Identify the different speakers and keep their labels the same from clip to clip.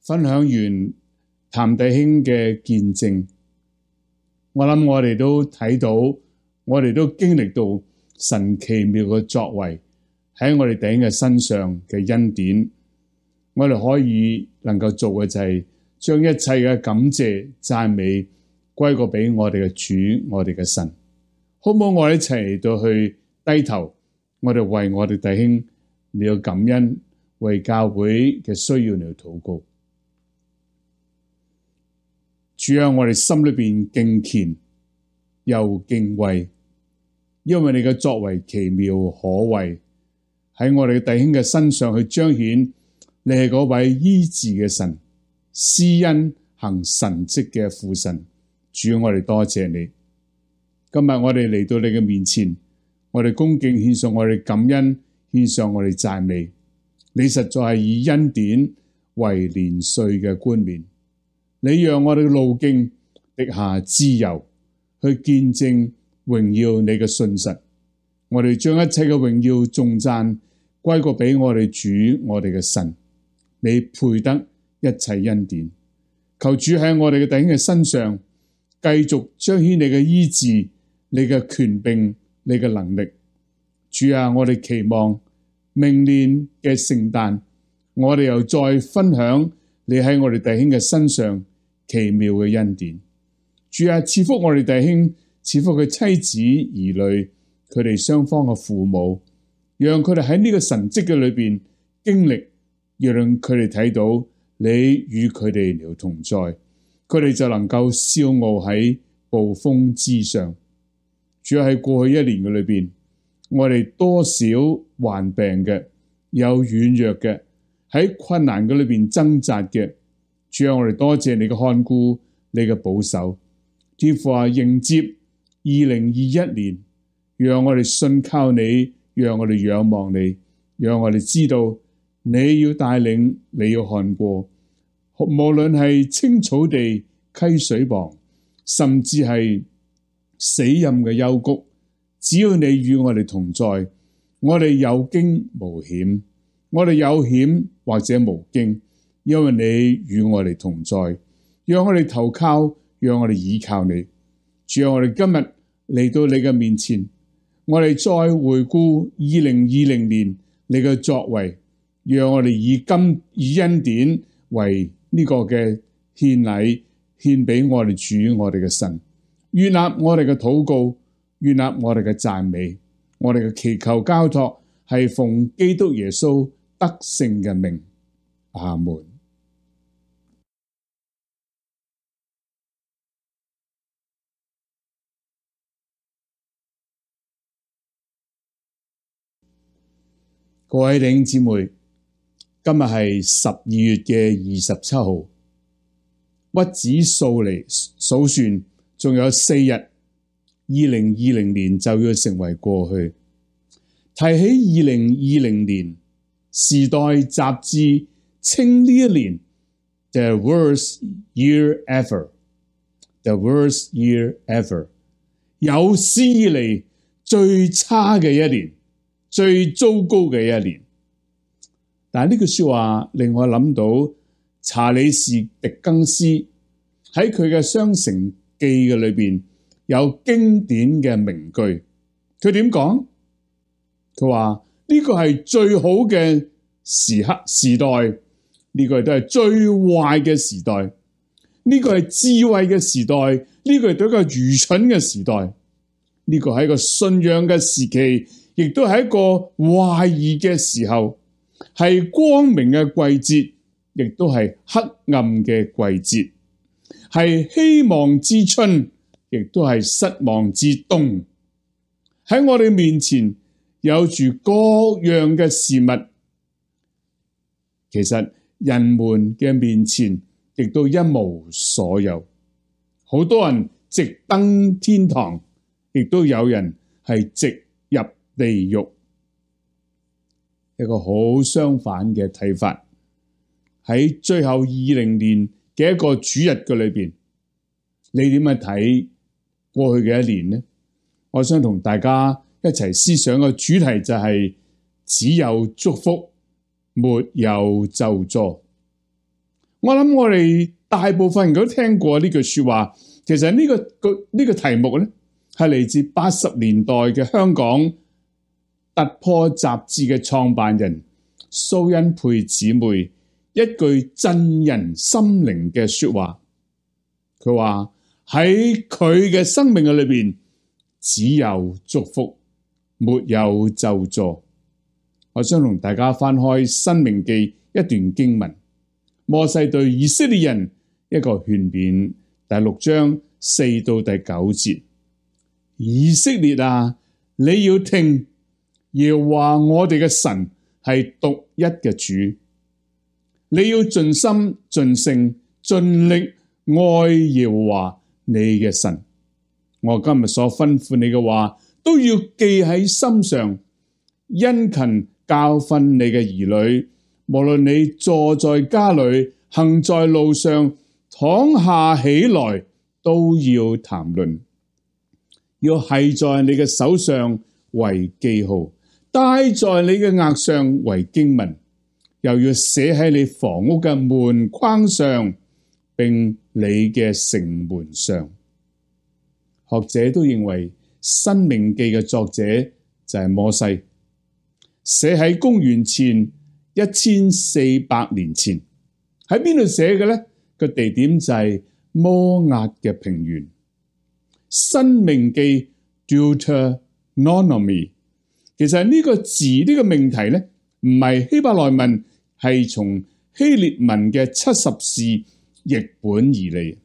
Speaker 1: 分享完譚弟兄嘅見證，我諗我哋都睇到，我哋都經歷到神奇妙嘅作為喺我哋弟兄嘅身上嘅恩典。我哋可以能夠做嘅就係將一切嘅感謝讚美歸過俾我哋嘅主，我哋嘅神。好唔好？我哋一齊嚟到去低頭，我哋為我哋弟兄嚟到感恩，為教會嘅需要嚟到禱告。主啊，我哋心裏邊敬虔又敬畏，因為你嘅作為奇妙可畏，喺我哋弟兄嘅身上去彰顯你係嗰位醫治嘅神，施恩行神蹟嘅父神。主，我哋多謝你。今日我哋嚟到你嘅面前，我哋恭敬獻上我哋感恩，獻上我哋讚美。你實在係以恩典為年歲嘅冠冕，你讓我哋嘅路徑滴下脂油，去見證榮耀你嘅信實。我哋將一切嘅榮耀頌讚歸過俾我哋主，我哋嘅神。你配得一切恩典。求主喺我哋嘅弟兄嘅身上繼續彰顯你嘅醫治，你嘅權柄，你嘅能力。主啊，我哋期望明年嘅聖誕，我哋又再分享你喺我哋弟兄嘅身上奇妙嘅恩典。主啊，賜福我哋弟兄，賜福佢妻子兒女，佢哋雙方嘅父母，讓佢哋喺呢個神蹟嘅裏邊經歷，讓佢哋睇到你與佢哋了同在，佢哋就能夠笑傲喺暴風之上。主要喺過去一年嘅裏邊，我哋多少患病嘅，有軟弱嘅，喺困難嘅裏邊掙扎嘅。主要我哋多謝你嘅看顧，你嘅保守。天父啊，迎接2021年，讓我哋信靠你，讓我哋仰望你，讓我哋知道你要帶領，你要看過，無論係青草地、溪水旁，甚至係死蔭嘅幽谷，只要你與我哋同在，我哋有驚無險，我哋有險或者無驚，因為你與我哋同在，讓我哋投靠，讓我哋倚靠你。主啊，我哋今日嚟到你嘅面前，我哋再回顧2020年你嘅作為，讓我哋以恩典為呢個嘅獻禮，獻俾我哋主，我哋嘅神。悅納我哋嘅禱告，悅納我哋嘅讚美，我哋嘅祈求交託係奉基督耶穌得勝嘅名。阿門。各位弟兄姊妹，今日係12月嘅27號，屈指數算，仲有4日，2020年就要成為過去。提起2020年，時代雜誌稱呢一年 The worst year ever，The worst year ever， 有史以嚟最差嘅一年，最糟糕嘅一年。但係呢句說話令我諗到查理士狄更斯喺佢嘅《雙城記》嘅裏邊有經典嘅名句。佢點講？佢話呢個係最好嘅時代，呢個亦都係最壞嘅時代。呢個係智慧嘅時代，呢個亦都係一個愚蠢嘅時代。呢個係一個信仰嘅時期，亦都係一個懷疑嘅時候，係光明嘅季節，亦都係黑暗嘅季節，係希望之春，亦都係失望之冬。喺我哋面前有住各樣嘅事物，其實人們嘅面前亦都一無所有。好多人直登天堂，亦都有人係直入地獄。一個好相反嘅睇法，喺最後20年嘅一個主日嘅裏邊，你點樣睇過去嘅一年呢？我想同大家一齊思想嘅主題就係只有祝福，沒有咒詛。我諗我哋大部分人都聽過呢句說話。其實呢個題目咧，係嚟自80年代嘅香港突破雜誌嘅創辦人蘇恩佩姊妹一句震人心靈嘅說話。佢話喺佢嘅生命嘅裏邊，只有祝福，沒有咒詛。我想同大家翻開申命記一段經文，摩西對以色列人一個勸勉，第6章4到第9節。以色列啊，你要聽，耶和華我哋嘅神係獨一嘅主，你要盡心盡性盡力愛耶和華你嘅神。我今日所吩咐你嘅話都要記喺心上，殷勤教訓你嘅兒女，無論你坐在家裏，行在路上，躺下起來，都要談論，要繫在你嘅手上為記號，戴在你嘅額上為經文，又要寫喺你房屋嘅門框上，並你嘅城門上。學者都認為《申命記》嘅作者就係摩西，寫喺公元前1400年前。喺邊度寫嘅呢？個地點就係摩押嘅平原。申命記 Deuteronomy， 其實呢個字呢個命題呢，唔係希伯來文，係從希列文嘅70士譯本而嚟。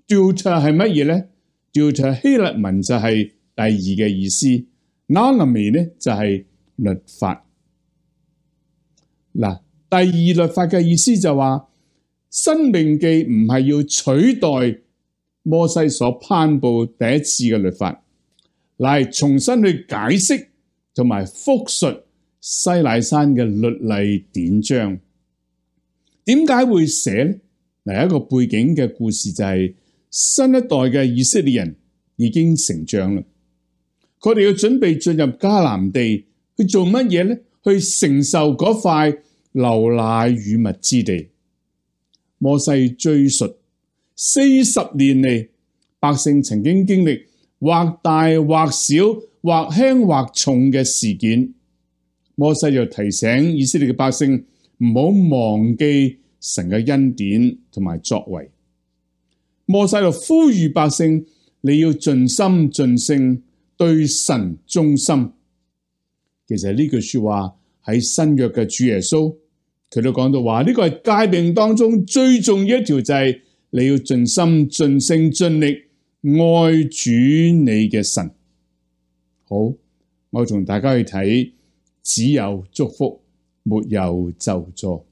Speaker 1: Deut 係乜嘢呢？Deut 希臘文就係第二嘅意思，Nonomy 呢就係律法。嗱，第二律法嘅意思就話，申命記唔係要取代摩西所頒布第一次嘅律法，乃係重新去解釋同埋複述西乃山嘅律例典章。點解會寫呢？嗱，一個背景嘅故事就係新一代嘅以色列人已經成長啦，佢哋要準備進入迦南地去做乜嘢呢？去承受嗰塊流奶與蜜之地。摩西追述40年嚟，百姓曾經經歷或大或小、或輕或重嘅事件。摩西就提醒以色列嘅百姓唔好忘記神嘅恩典同埋作為。摩西就呼籲百姓，你要盡心盡性對神忠心。其實呢句說話喺新約嘅主耶穌，佢都講到話，呢個係誡命當中最重要一條，就係你要盡心盡性盡力愛主你嘅神。好，我同大家去睇，只有祝福，沒有咒詛。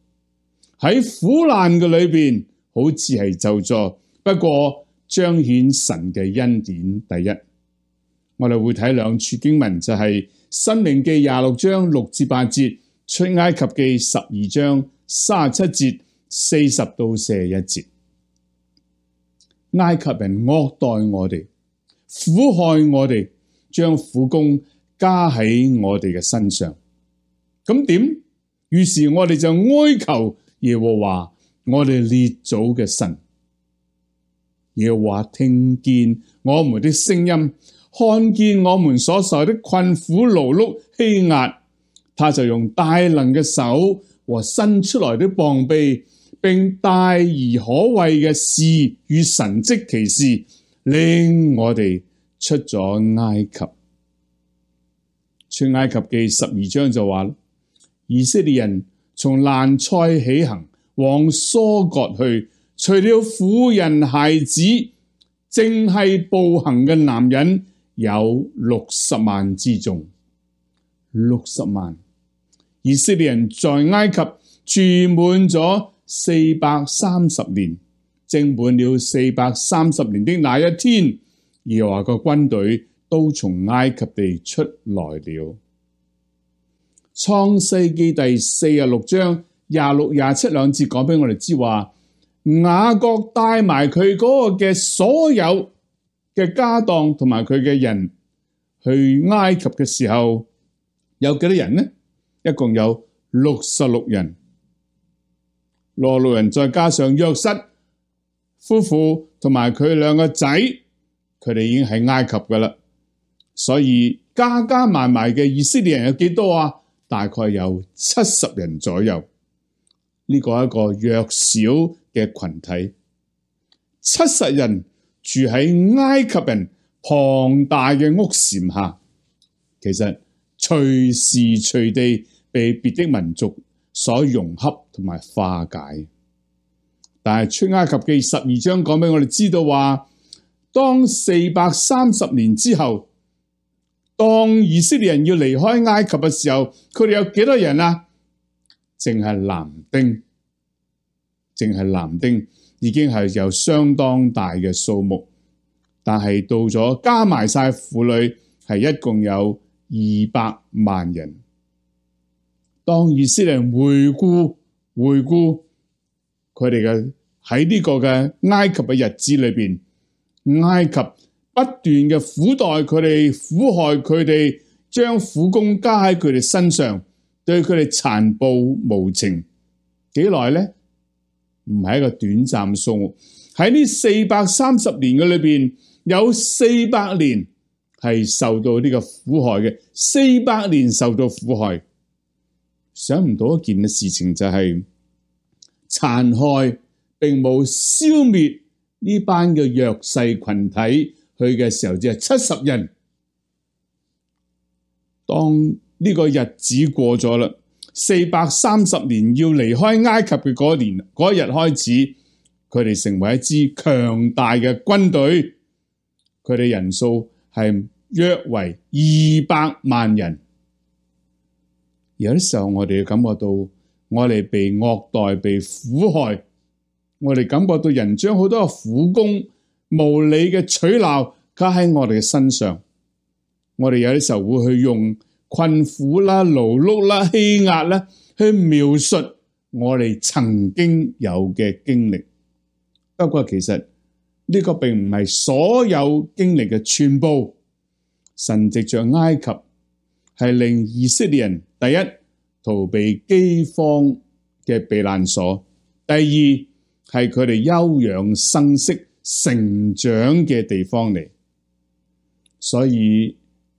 Speaker 1: 喺苦難嘅裏邊，好似係咒詛，不過彰顯神嘅恩典。第一，我哋會睇兩處經文，就係申命記26章6至8節，出埃及記12章37節40到41節。埃及人惡待我哋，苦害我哋，將苦工加喺我哋嘅身上。咁點？於是我哋就哀求耶和華，我哋列祖嘅神。耶和華聽見我們的聲音，看見我們所受的困苦勞碌欺壓，他就用大能嘅手和伸出來的膀臂，並大而可畏嘅事與神蹟奇事，領我哋出咗埃及。出埃及記12章就話，以色列人從蘭塞起行，往疏割去，除了婦人孩子，淨係步行嘅男人有60萬之眾。60萬。以色列人在埃及住滿咗430年，正滿了430年的那一天，耶和華個軍隊都從埃及地出來了。創世記第46章26、27兩節講俾我哋知話，雅各帶埋佢嗰個嘅所有嘅家當同埋佢嘅人去埃及嘅時候，有幾多人呢？一共有66人。羅路人再加上約瑟夫婦同埋佢兩個仔，佢哋已經喺埃及噶啦。所以加加埋埋嘅以色列人有幾多啊？大概有70人左右。呢個係一個弱小嘅群體，70人住喺埃及人龐大嘅屋檐下，其實隨時隨地被別的民族所融合同埋化解。但係出埃及記12章講俾我哋知道話，當430年之後，當以色列人要離開埃及嘅時候，佢哋有幾多人啊？淨係男丁已經係有相當大嘅數目，但係到咗加埋晒婦女，係一共有200萬人。當以色列人回顧佢哋嘅喺呢個嘅埃及嘅日子裏邊，埃及不斷嘅苦待佢哋，苦害佢哋，將苦工加喺佢哋身上，對佢哋殘暴無情。幾耐呢？唔係一個短暫數目。喺呢430年嘅裏邊，有400年係受到呢個苦害嘅，400年受到苦害。想唔到一件嘅事情就係殘害並冇消滅呢班嘅弱勢群體，去嘅時候只係70人。當呢個日子過咗啦，430年要離開埃及嘅嗰日開始，佢哋成為一支強大嘅軍隊，佢哋人數係約為200萬人。有啲時候我哋感覺到我哋被惡待、被苦害，我哋感覺到人將好多嘅苦工無理嘅取鬧加喺我哋嘅身上，我哋有啲時候會去用困苦啦、勞碌啦、欺壓啦去描述我哋曾經有嘅經歷。不過其實呢個並唔係所有經歷嘅全部。神藉着埃及係令以色列人第一逃避饑荒嘅避難所，第二係佢哋休養生息成長嘅地方嚟。所以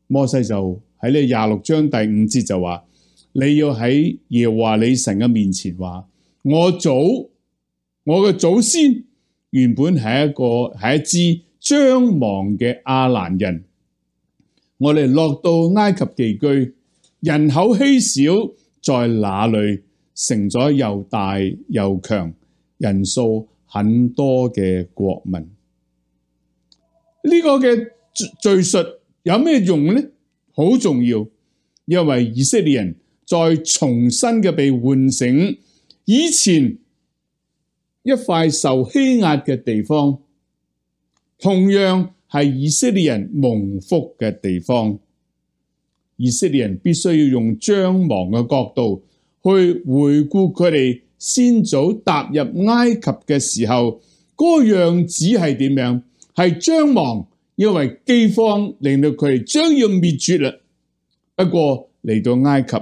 Speaker 1: 摩西就喺呢26章第5節就話，你要喺耶和華你神嘅面前話，我嘅祖先原本係一支將亡嘅亞蘭人，我哋落到埃及寄居，人口稀少，在那裏成咗又大又強，人數很多嘅國民。呢個嘅敘述有咩用呢？好重要，因為以色列人再重新嘅被喚醒，以前一塊受欺壓嘅地方，同樣係以色列人蒙福嘅地方。以色列人必須要用將亡嘅角度去回顧佢哋先祖踏入埃及嘅時候，嗰個樣子係點樣？係將亡，因為饑荒令到佢哋將要滅絕啦。不過嚟到埃及，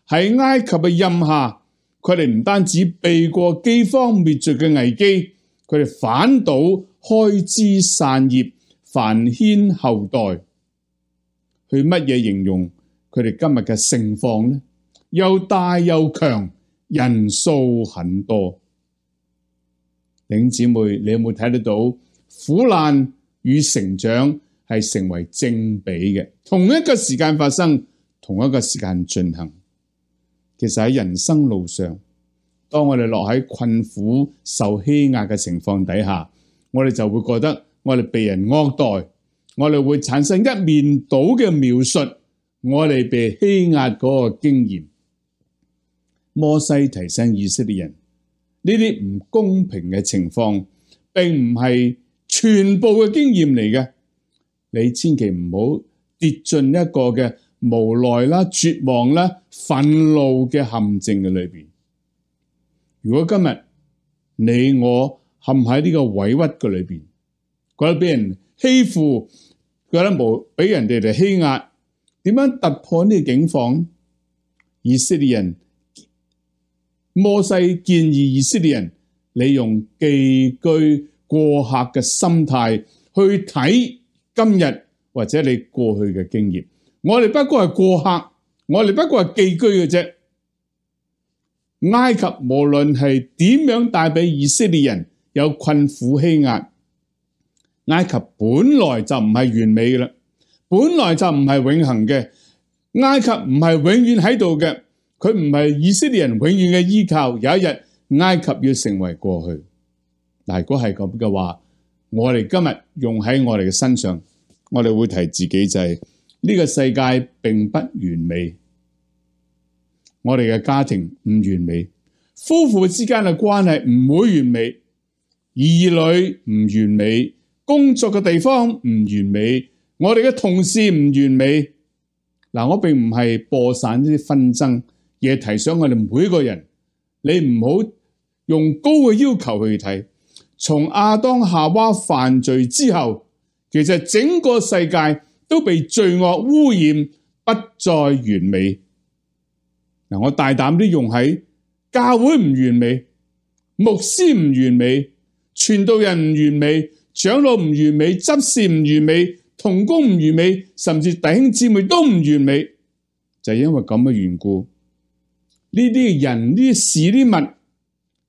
Speaker 1: 喺埃及嘅蔭下，佢哋唔單止避過饑荒滅絕嘅危機，佢哋反倒開枝散葉，繁衍後代。去乜嘢形容佢哋今日嘅盛況呢？又大又強，人數很多。弟兄姊妹，你有冇睇得到苦難與成長係成為正比嘅？同一個時間發生，同一個時間進行。其實喺人生路上，當我哋落喺困苦、受欺壓嘅情況底下，我哋就會覺得我哋被人惡待，我哋會產生一面倒嘅描述我哋被欺壓嗰個經驗。摩西提醒以色列人，呢啲唔公平嘅情況並唔係全部嘅經驗嚟嘅，你千祈唔好跌進一個嘅無奈啦、絕望啦、憤怒嘅陷阱嘅裏邊。如果今日你我陷喺呢個委屈嘅裏邊，覺得俾人欺負，覺得俾人哋嚟欺壓，點樣突破呢個境況？以色列人摩西建議以色列人，你用寄居過客嘅心態去睇今日或者你過去嘅經驗。我哋不過係過客，我哋不過係寄居嘅啫。埃及無論係點樣帶俾以色列人有困苦欺壓，埃及本來就唔係完美嘅啦，本來就唔係永恆嘅。埃及唔係永遠喺度嘅，佢唔係以色列人永遠嘅依靠。有一日埃及要成為過去。但如果係咁嘅話，我哋今日用喺我哋嘅身上，我哋會提自己就係呢個世界並不完美，我哋嘅家庭唔完美，夫婦之間嘅關係唔會完美，兒女唔完美，工作嘅地方唔完美，我哋嘅同事唔完美。嗱，我並唔係播散呢啲紛爭，而係提醒我哋每個人，你唔好用高嘅要求去睇。從亞當夏娃犯罪之後，其實整個世界都被罪惡污染，不再完美。嗱，我大膽啲用喺教會唔完美，牧師唔完美，傳道人唔完美，長老唔完美，執事唔完美，同工唔完美，甚至弟兄姊妹都唔完美，就係因為咁嘅緣故，呢啲人、呢啲事、呢啲物，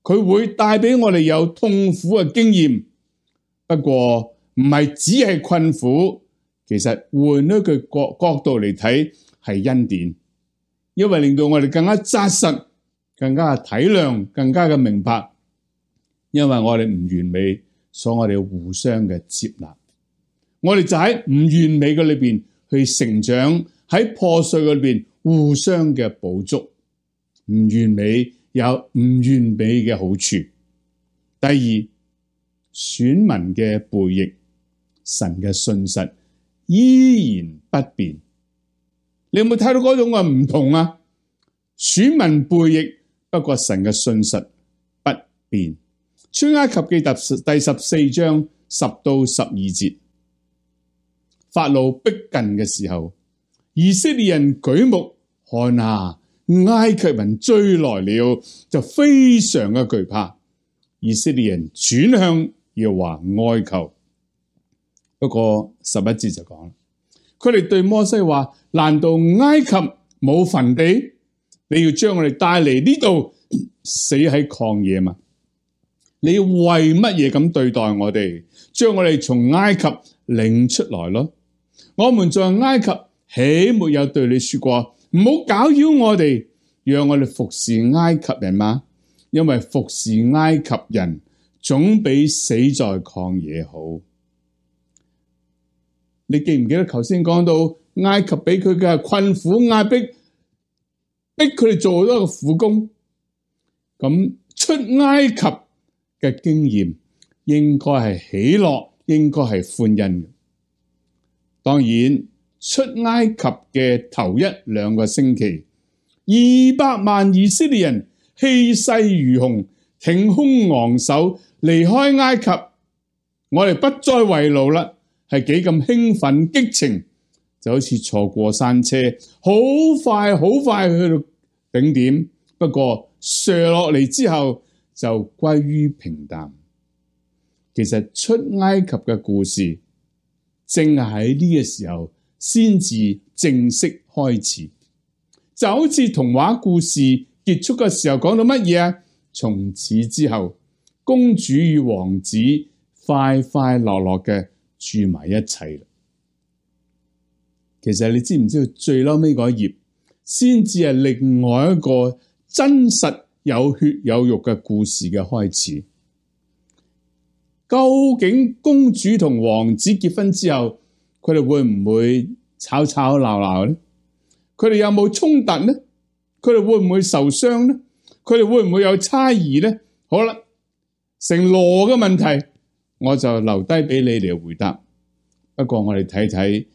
Speaker 1: 佢會帶俾我哋有痛苦嘅經驗。不過唔係只係困苦，其實換一個角度嚟睇係恩典，因為令到我哋更加紮實，更加嘅體諒，更加嘅明白。因為我哋唔完美，所以我哋要互相嘅接納。我哋就喺唔完美嘅裏邊去成長，喺破碎嘅裏邊互相嘅補足。唔完美有唔完美嘅好處。第二，選民嘅背逆，神嘅信實依然不變。你有冇睇到嗰種嘅唔同啊？選民背逆，不過神嘅信實不變。出埃及記第14章10到12節，法老逼近嘅時候，以色列人舉目看啊，埃及人追來了，就非常嘅懼怕。以色列人轉向耶和華哀求。不過11節就講啦，佢哋對摩西話：難道埃及冇墳地？你要將我哋帶嚟呢度死喺曠野嘛？你要為乜嘢咁對待我哋？將我哋從埃及領出來咯。我們在埃及豈沒有對你說過，唔好攪擾我哋，讓我哋服侍埃及人嗎？因為服侍埃及人總比死在曠野好。你記唔記得頭先講到埃及俾佢嘅困苦壓迫，逼佢哋做好多個苦工？咁出埃及嘅經驗應該係喜樂，應該係歡欣嘅。當然，出埃及嘅頭1-2個星期，200萬以色列人氣勢如虹，挺胸昂首離開埃及。我哋不再為奴啦，係幾咁興奮激情，就好似坐過山車，好快好快去到頂點。不過瀡落嚟之後就歸於平淡。其實出埃及嘅故事正係喺呢個時候先至正式開始，就好似童話故事結束嘅時候講到乜嘢啊？從此之後，公主與王子快快樂樂嘅住埋一齊。其實你知唔知道最嬲尾嗰頁先至係另外一個真實有血有肉嘅故事嘅開始？究竟公主同王子結婚之後，佢哋會唔會吵吵鬧鬧呢？佢哋有冇衝突呢？佢哋會唔會受傷呢？佢哋會唔會有猜疑呢？好啦，成羅嘅問題，我就留低俾你嚟回答。不過我哋睇睇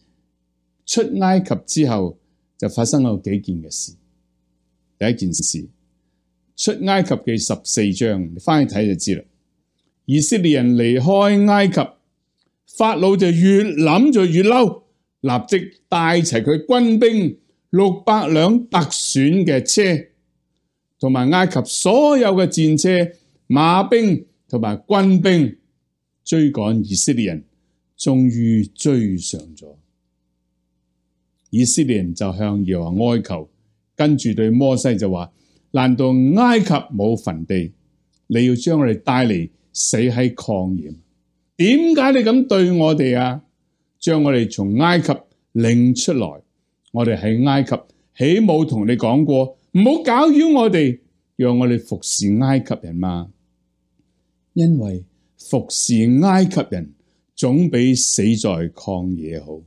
Speaker 1: 出埃及之後就發生咗幾件嘅事。第一件事，出埃及記14章，你翻去睇就知啦。以色列人離開埃及，法老就越諗就越嬲，立即帶齊佢軍兵600輛特選嘅車，同埋埃及所有嘅戰車、馬兵同埋軍兵追趕以色列人，終於追上咗。以色列人就向耶和華哀求，跟住對摩西就話：難道埃及冇墳地？你要將我哋帶嚟死喺曠野？點解你咁對我哋啊？將我哋從埃及領出來，我哋喺埃及豈冇同你講過，唔好攪擾我哋，讓我哋服侍埃及人嘛？因為服侍埃及人總比死在曠野好。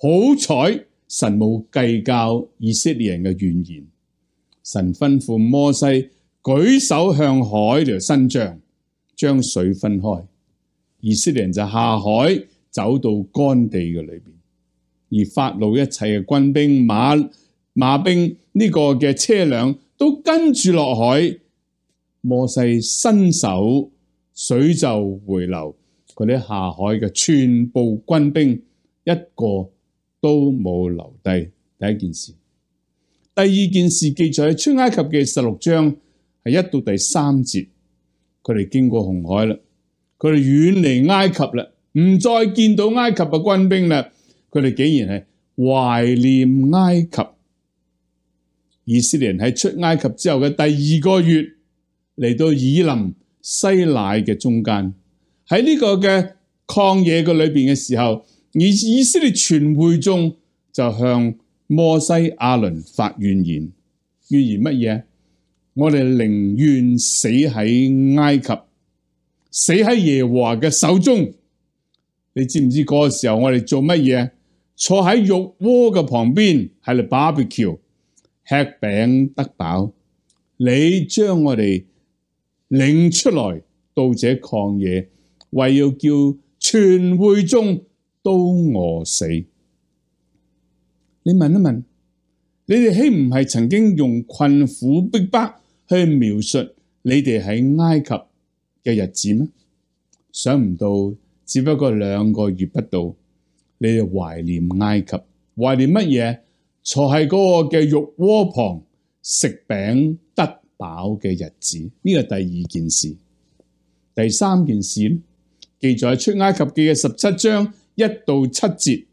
Speaker 1: 好彩神冇計較以色列人嘅怨言，神吩咐摩西舉手向海嚟伸張，將水分開，以色列人就下海走到乾地嘅裏邊，而法老一切嘅軍兵、馬兵呢個嘅車輛都跟住落海。摩西伸手，水就回流，嗰啲下海嘅全部軍兵一個都冇留低。第一件事，第二件事記載喺出埃及嘅16章係1到第3節，佢哋經過紅海啦，佢哋遠離埃及啦，唔再見到埃及嘅軍兵啦，佢哋竟然係懷念埃及。以色列人喺出埃及之後嘅第2個月，嚟到以琳西乃嘅中間，喺呢個嘅曠野嘅裏邊嘅時候，以色列全會眾就向摩西亞倫發怨言。怨言乜嘢？我哋寧願死喺埃及，死喺耶和華嘅手中。你知唔知嗰個時候我哋做乜嘢？坐喺肉鍋嘅旁邊，喺度 barbecue， 吃餅得飽。你將我哋領出來到這曠野，為要叫全會眾都餓死。你問一問，你哋豈唔係曾經用困苦逼迫去描述你哋喺埃及嘅日子咩？想唔到只不過2個月不到，你哋懷念埃及，懷念乜嘢？坐喺嗰個嘅肉鍋旁食餅得飽嘅日子。呢個第2件事。第3件事呢，記載喺出埃及記嘅17章1到7節，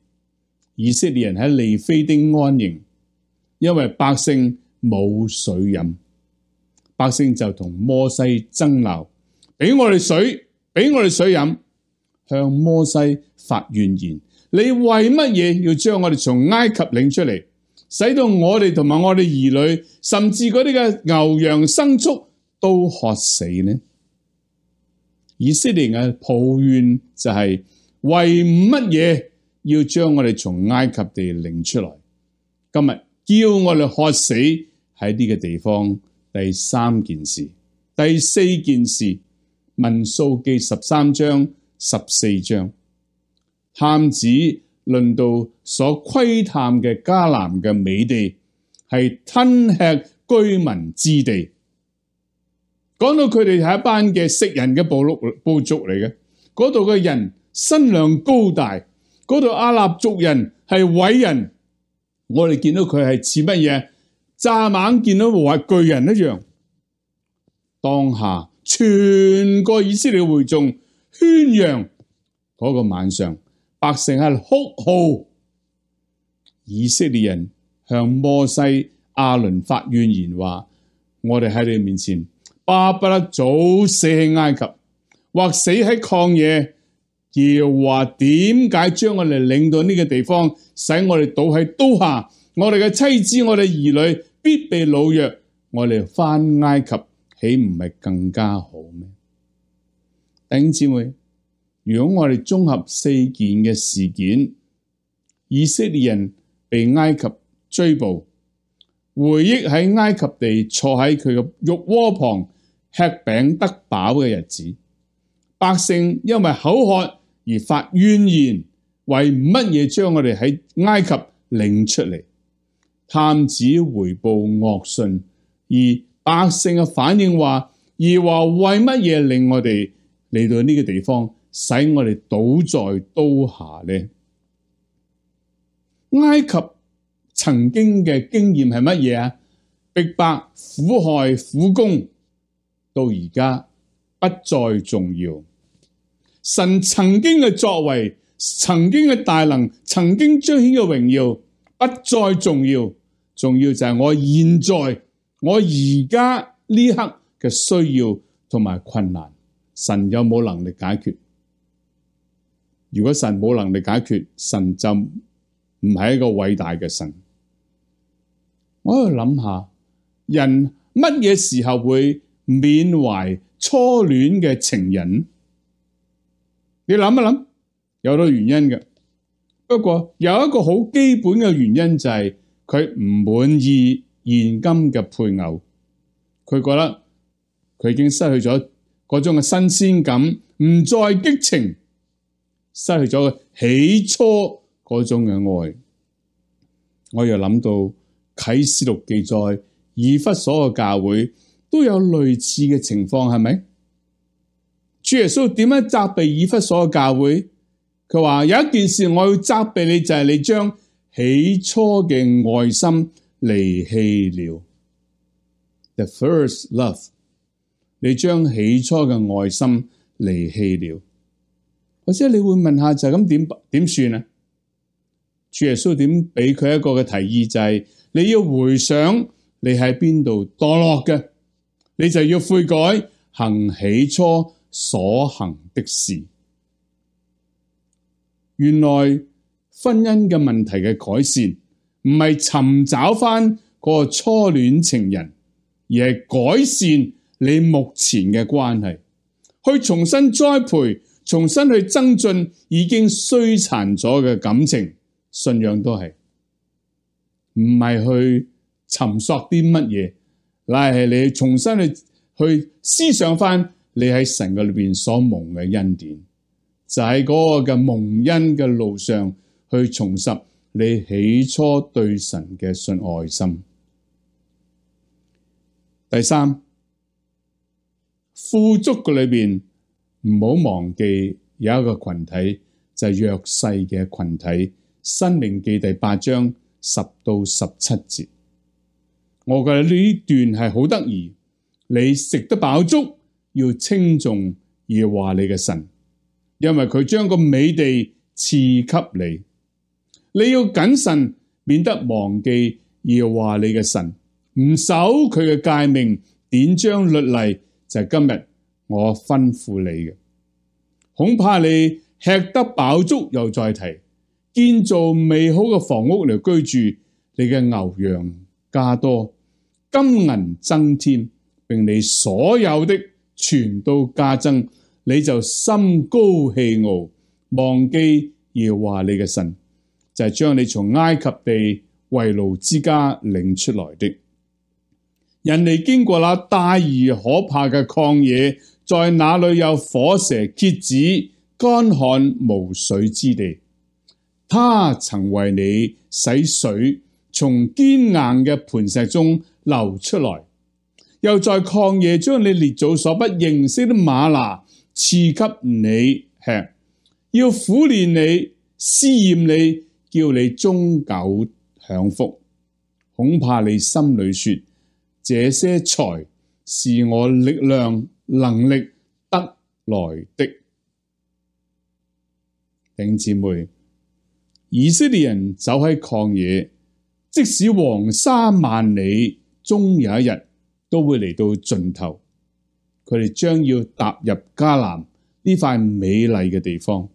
Speaker 1: 以色列人喺利非丁安營，因為百姓冇水飲，百姓就同摩西爭鬧，俾我哋水，俾我哋水飲，向摩西發怨言。你為乜嘢要將我哋從埃及領出嚟，使到我哋同埋我哋兒女，甚至嗰啲嘅牛羊牲畜都渴死呢？以色列人嘅抱怨就係為乜嘢要將我哋從埃及地領出來？今日叫我哋渴死喺呢個地方。第3件事。第4件事，民數記13章14章，探子論到所窺探嘅迦南嘅美地係吞吃居民之地。講到佢哋係一班嘅食人嘅部族嚟嘅，嗰度嘅人身量高大，嗰度阿納族人係偉人，我哋見到佢係似乜嘢？乍猛見到話巨人一樣。當下全個以色列會眾喧嚷，嗰個晚上百姓喺度哭號，以色列人向摩西亞倫發怨言話：我哋喺你面前巴不得早死喺埃及，或死喺曠野。耶和華點解將我哋領到呢個地方，使我哋倒喺刀下？我哋嘅妻子、我哋兒女必被擄掠，我哋返埃及豈唔係更加好咩？弟兄姊妹，如果我哋綜合4件嘅事件，以色列人被埃及追捕，回憶喺埃及地坐喺佢嘅肉鍋旁吃餅得飽嘅日子，百姓因為口渴而發怨言，為乜嘢將我哋喺埃及領出嚟？探子回報惡訊，而百姓嘅反應話：而話為乜嘢令我哋嚟到呢個地方，使我哋倒在刀下呢？埃及曾經嘅經驗係乜嘢啊？逼迫、苦害、苦攻，到而家不再重要。神曾經嘅作為，曾經嘅大能，曾經彰顯嘅榮耀，不再重要。重要就係我現在，我而家呢刻嘅需要同埋困難，神有冇能力解決？如果神冇能力解決，神就唔係一個偉大嘅神。我喺度諗下，人乜嘢時候會緬懷初戀嘅情人？你諗一諗，有好多原因嘅。不過有一個好基本嘅原因就係佢唔滿意現今嘅配偶，佢覺得佢已經失去咗嗰種嘅新鮮感，唔再激情，失去咗起初嗰種嘅愛。我又諗到啟示錄記載以弗所嘅教會都有類似嘅情況，係咪？主耶穌點樣責備以弗所嘅教會？佢話有一件事我要責備你，就係你將起初嘅愛心離棄了。The first love， 你將起初嘅愛心離棄了。或者你會問下，就咁點算啊？主耶穌點俾佢一個嘅提議，就係你要回想你喺邊度墮落嘅，你就要悔改，行起初所行的事。原來婚姻嘅問題嘅改善，唔係尋找翻嗰個初戀情人，而係改善你目前嘅關係，去重新栽培，重新去增進已經衰殘咗嘅感情。信仰都係，唔係去尋索啲乜嘢，乃係你重新去思想翻你喺神嘅裏邊所蒙嘅恩典，就喺嗰個嘅蒙恩嘅路上去重拾你起初對神嘅信愛心。第三，富足嘅裏邊唔好忘記有一個群體，就係弱勢嘅群體。申命記第8章10到17節，我覺得呢段係好得意。你食得飽足，要稱頌耶和華你嘅神，因為佢將個美地賜給你。你要謹慎，免得忘記耶和華你嘅神，唔守佢嘅誡命、典章、律例，就係今日我吩咐你嘅。恐怕你吃得飽足又再提，建造美好嘅房屋嚟居住，你嘅牛羊加多，金銀增添，並你所有的全都加增，你就心高氣傲，忘記耶和華你嘅神，就係將你從埃及地為奴之家領出來的。人哋經過那大而可怕嘅曠野，在那裏有火蛇蠍子、乾旱無水之地。他曾為你使水從堅硬嘅磐石中流出來，又在曠野將你列祖所不認識的嗎哪賜給你吃，要苦練你、試驗你，叫你終久享福。恐怕你心裏說：這些財是我力量能力得來的。弟兄姊妹，以色列人走喺曠野，即使黃沙萬里，終有一日都會嚟到盡頭。佢哋將要踏入迦南呢塊美麗嘅地方。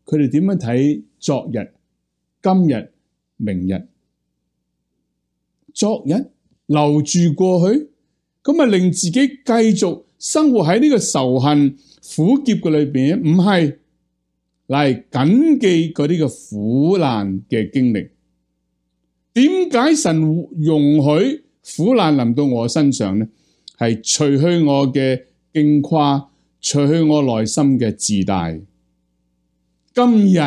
Speaker 1: 佢哋點樣睇昨日、今日、明日？昨日留住過去，咁咪令自己繼續生活喺呢個仇恨苦澀嘅裏邊？唔係。嚟謹記嗰啲嘅苦難嘅經歷。點解神容許苦難臨到我身上呢？係除去我嘅矜誇，除去我內心嘅自大。今日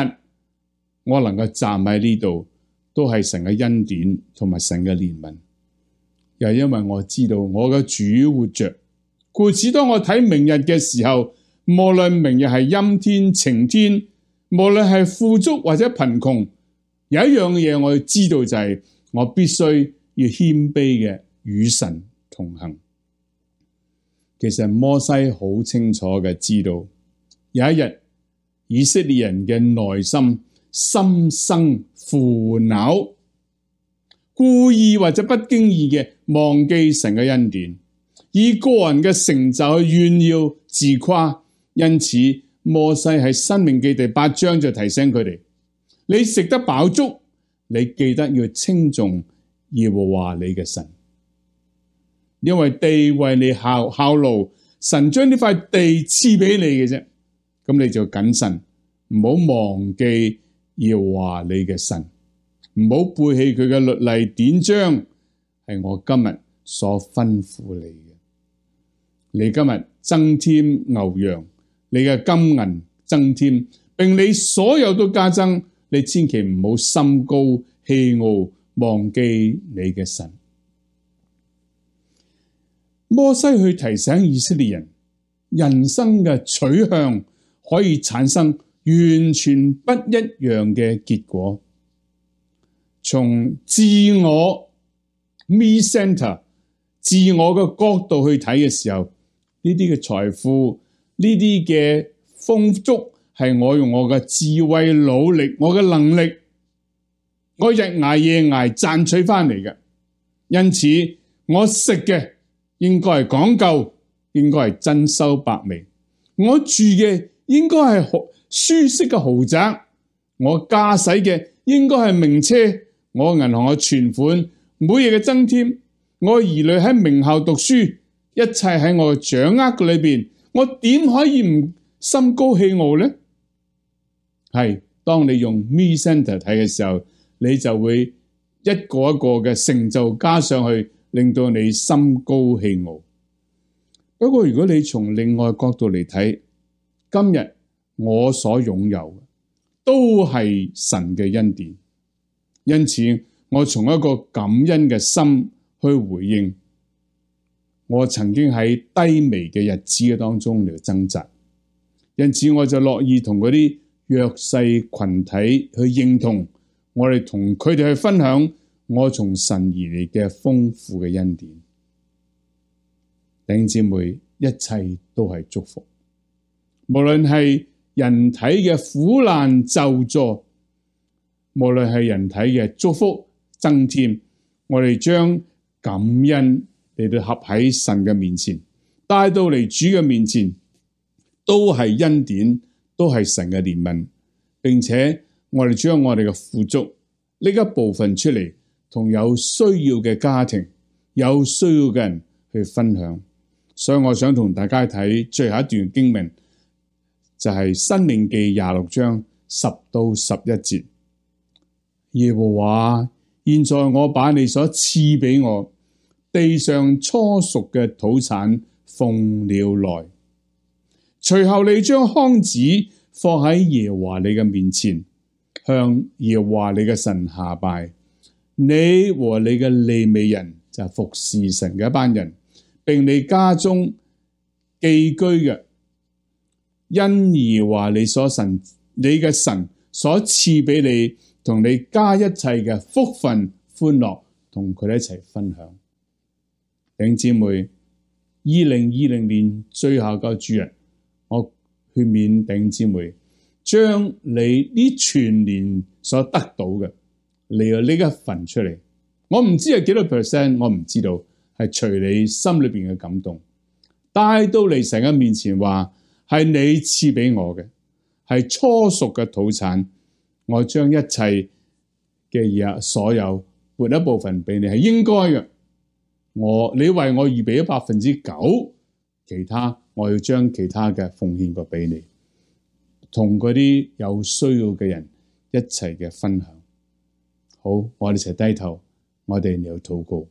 Speaker 1: 我能夠站喺呢度，都係神嘅恩典同埋神嘅憐憫。又因為我知道我嘅主活着，故此當我睇明日嘅時候，無論明日係陰天、晴天，無論係富足或者貧窮，有一樣嘢我要知道就係我必須要謙卑嘅與神同行。其實摩西好清楚嘅知道，有一日以色列人嘅內心心生腐朽，故意或者不經意嘅忘記神嘅恩典，以個人嘅成就去炫耀自誇。因此摩西喺申命記第8章就提醒佢哋：你食得飽足，你記得要稱頌耶和華你嘅神，因為地為你效勞，神將呢塊地賜俾你嘅啫。咁你就謹慎，唔好忘記耶和華你嘅神，唔好背棄佢嘅律例典章，係我今日所吩咐你嘅。你今日增添牛羊，你嘅金銀增添，並你所有都加增，你千祈唔好心高氣傲，忘記你嘅神。摩西去提醒以色列人，人生嘅取向可以產生完全不一樣嘅結果。從自我 me center 自我嘅角度去睇嘅時候，呢啲嘅財富，呢啲嘅豐足係我用我嘅智慧、努力、我嘅能力，我日捱夜捱賺取翻嚟嘅。因此我食嘅應該係講究，應該係珍饈百味，我住嘅應該係舒適嘅豪宅，我駕駛嘅應該係名車，我銀行嘅存款每日嘅增添，我兒女喺名校讀書，一切喺我嘅掌握裏邊，我點可以唔心高氣傲呢？係當你用 me center 睇嘅時候，你就會一個一個嘅成就加上去，令到你心高氣傲。不過如果你從另外角度嚟睇，今日我所擁有嘅都係神嘅恩典，因此我從一個感恩嘅心去回應。我曾經喺低微嘅日子嘅當中嚟掙扎，因此我就樂意同嗰啲弱勢群體去認同，我哋同佢哋去分享我從神而嚟嘅豐富嘅恩典。弟兄姊妹，一切都係祝福，無論係人體嘅苦難咒詛，無論係人體嘅祝福增添，我哋將感恩嚟到合喺神嘅面前，帶到嚟主嘅面前，都係恩典，都係神嘅憐憫，並且我哋將我哋嘅富足呢一部分出嚟，同有需要嘅家庭、有需要嘅人去分享。所以我想同大家睇最後一段經文，就係申命記26章10到11節。耶和華，現在我把你所賜俾我地上初熟嘅土產奉了來，隨後你將筐子放喺耶和華你嘅面前，向耶和華你嘅神下拜。你和你嘅利未人就服侍神嘅一班人，並你家中寄居嘅，因耶和華你嘅神所賜俾你同你家一切嘅福分歡樂，同佢哋一齊分享。弟兄姊妹，2020年最後個主日，我勸勉弟兄姊妹，將你呢全年所得到嘅，你有呢一份出嚟。我唔知係幾多 percent， 我唔知道，係隨你心裏邊嘅感動，帶到嚟神嘅面前，話係你賜俾我嘅，係初熟嘅土產。我將一切嘅嘢，所有撥一部分俾你，係應該嘅。你為我預備咗9%，其他我要將其他嘅奉獻過俾你，同嗰啲有需要嘅人一齊嘅分享。好，我哋一齊低頭，我哋嚟禱告。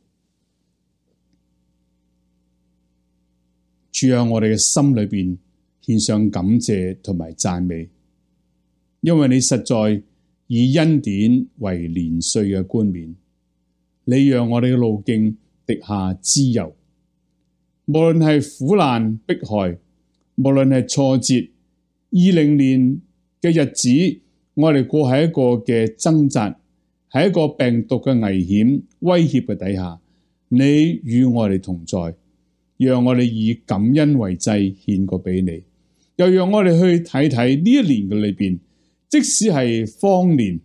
Speaker 1: 主啊，我哋嘅心裏邊獻上感謝同埋讚美，因為你實在以恩典為年歲嘅冠冕，你讓我哋嘅路徑滴下脂油，無論係苦難迫害，無論係挫折，2020年嘅日子，我哋過喺一個嘅掙扎喺一個病毒嘅危險威脅嘅底下，你與我哋同在，讓我哋以感恩為祭獻過俾你，又讓我哋去睇睇呢一年嘅裏邊，即使係荒年，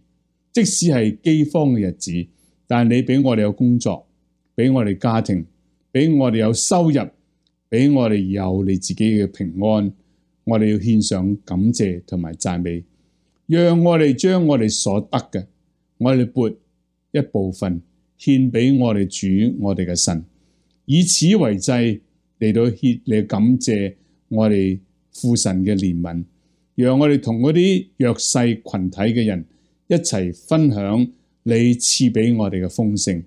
Speaker 1: 即使係饑荒嘅日子，但你俾我哋有工作，俾我哋家庭，俾我哋有收入，俾我哋有你自己嘅平安，我哋要獻上感謝同埋讚美，讓我哋將我哋所得嘅，我哋撥一部分獻俾我哋主，我哋嘅神，以此為祭嚟到獻嚟感謝我哋父神嘅憐憫，讓我哋同嗰啲弱勢群體嘅人一齊分享你賜俾我哋嘅豐盛。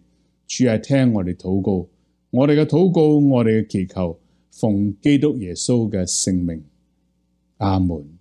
Speaker 1: 主係聽我哋禱告，我哋嘅禱告，我哋嘅祈求，奉基督耶穌嘅聖名，阿門。